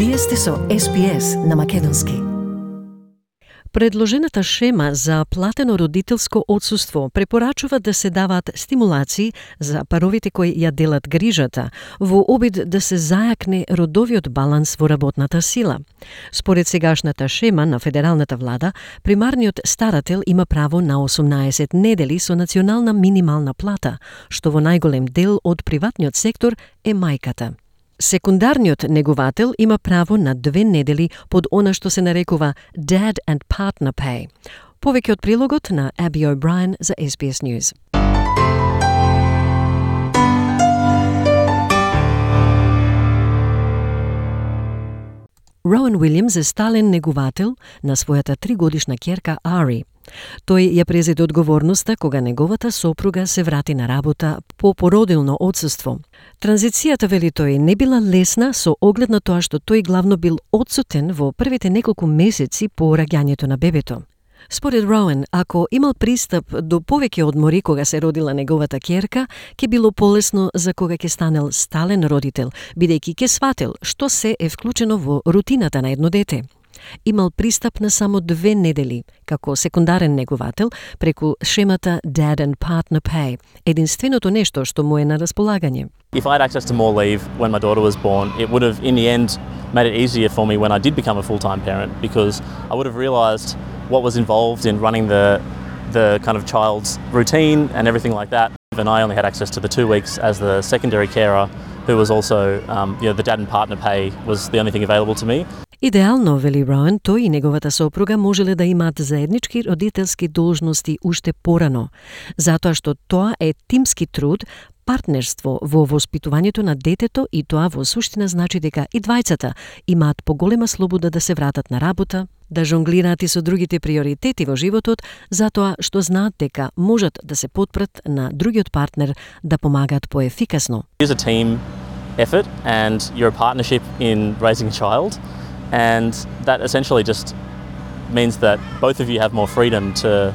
Вие сте со SPS на македонски. Предложената шема за платено родителско отсуство препорачува да се даваат стимулации за паровите кои ја делат грижата, во обид да се зајакне родовиот баланс во работната сила. Според сегашната шема на федералната влада, примарниот старател има право на 18 недели со национална минимална плата, што во најголем дел од приватниот сектор е мајката. Секундарниот неговател има право на 2 недели под она што се нарекува Dad and Partner Pay. Повеќе од прилогот на Аби О'Брајен за SBS News. Роуен Уилјамс е стален неговател на својата 3-годишна ќерка Ари. Тој ја презеде одговорноста кога неговата сопруга се врати на работа по породилно отсуство. Транзицијата, вели тој, не била лесна со оглед на тоа што тој главно бил отсутен во првите неколку месеци по раѓањето на бебето. Според Роуен, ако имал пристап до повеќе одмори кога се родила неговата ќерка, ќе било полесно за кога ќе станел стален родител, бидејќи ќе свател што се е вклучено во рутината на едно дете. Имал пристап на само 2 недели, како секундарен неговател, преку шемата Dad and Partner Pay, единственото нешто што му е на располагање. If I had access to more leave when my daughter was born, it would have, in the end, made it easier for me when I did become a full-time parent, because I would have realised what was involved in running the kind of child's routine and everything like that. And I only had access to the 2 weeks as the secondary carer, who was also, the Dad and Partner Pay was the only thing available to me. Идеално, вели Роуен, тој и неговата сопруга можеле да имаат заеднички родителски должности уште порано, затоа што тоа е тимски труд, партнерство во воспитувањето на детето, и тоа во суштина значи дека и двајцата имаат поголема слобода да се вратат на работа, да жонглираат и со другите приоритети во животот, затоа што знаат дека можат да се потпрат на другиот партнер да помагаат поефикасно. It is a team effort and you're a partnership in raising a child. And that essentially just means that both of you have more freedom to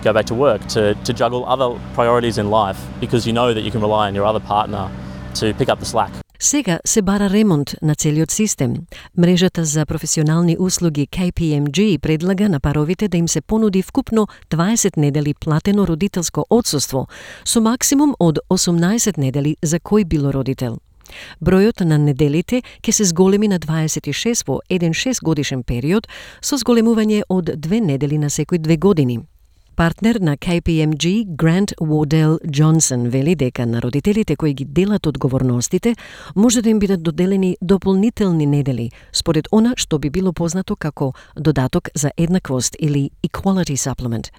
go back to work, to juggle other priorities in life, because you know that you can rely on your other partner to pick up the slack. Сега се бара ремонт на целиот систем. Мрежата за професионални услуги KPMG предлага на паровите да им се понуди вкупно 20 недели платено родителско отсуство, со максимум од 18 недели за кој било родител. Бројот на неделите ќе се зголеми на 26 во еден 6-годишен период, со зголемување од 2 недели на секој 2 години. Партнер на KPMG, Грант Уодел Джонсон, вели дека на родителите кои ги делат одговорностите може да им бидат доделени дополнителни недели, според она што би било познато како додаток за еднаквост или Equality Supplement.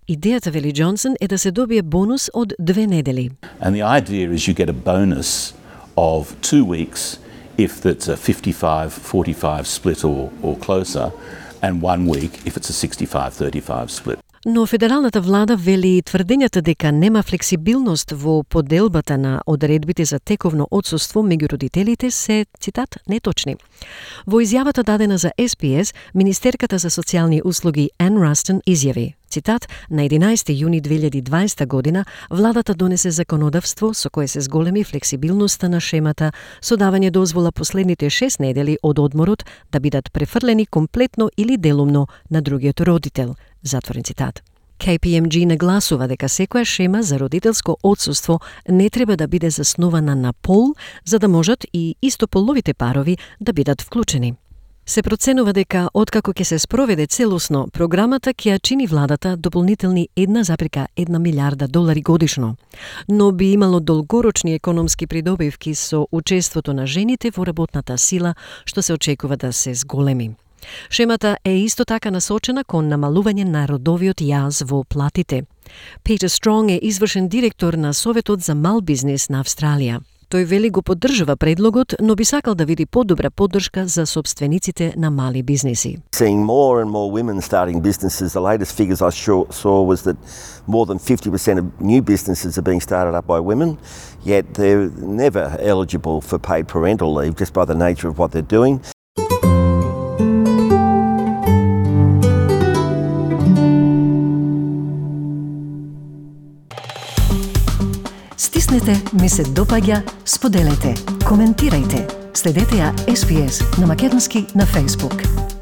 Идејата, вели Джонсон, е да се добие бонус од 2 недели. And the idea is you get a bonus of 2 weeks if it's a 55-45 split or closer, and 1 week if it's a 65-35 split. Но федералната влада вели тврдењата дека нема флексибилност во поделбата на одредбите за тековно отсуство меѓу родителите се, цитат, неточни. Во изјавата дадена за SPS, Министерката за социјални услуги Ан Растон изјави, цитат, на 11 јуни 2020 година владата донесе законодавство со кое се зголеми флексибилноста на шемата со давање дозвола последните 6 недели од одморот да бидат префрлени комплетно или делумно на другиот родител. Затворен цитат. KPMG нагласува дека секоја шема за родителско отсуство не треба да биде заснована на пол, за да можат и истополовите парови да бидат вклучени. Се проценува дека откако ќе се спроведе целосно, програмата ќе ја чини владата дополнителни 1,1 милиарда долари годишно, но би имало долгорочни економски придобивки со учеството на жените во работната сила, што се очекува да се зголеми. Шемата е исто така насочена кон намалување на родовиот јаз во платите. Питер Стронг е извршен директор на Советот за мал бизнес на Австралија. Тој вели го поддржува предлогот, но би сакал да види подобра поддршка за собствениците на мали бизнеси. Seeing more and more women starting businesses, the latest figures I saw was that more than 50% of new businesses are being started up by women, yet they're never eligible for paid parental leave just by the nature of what they're doing. Стиснете, ми се допаѓа, споделете, коментирајте. Следете ја SPS на македонски на Facebook.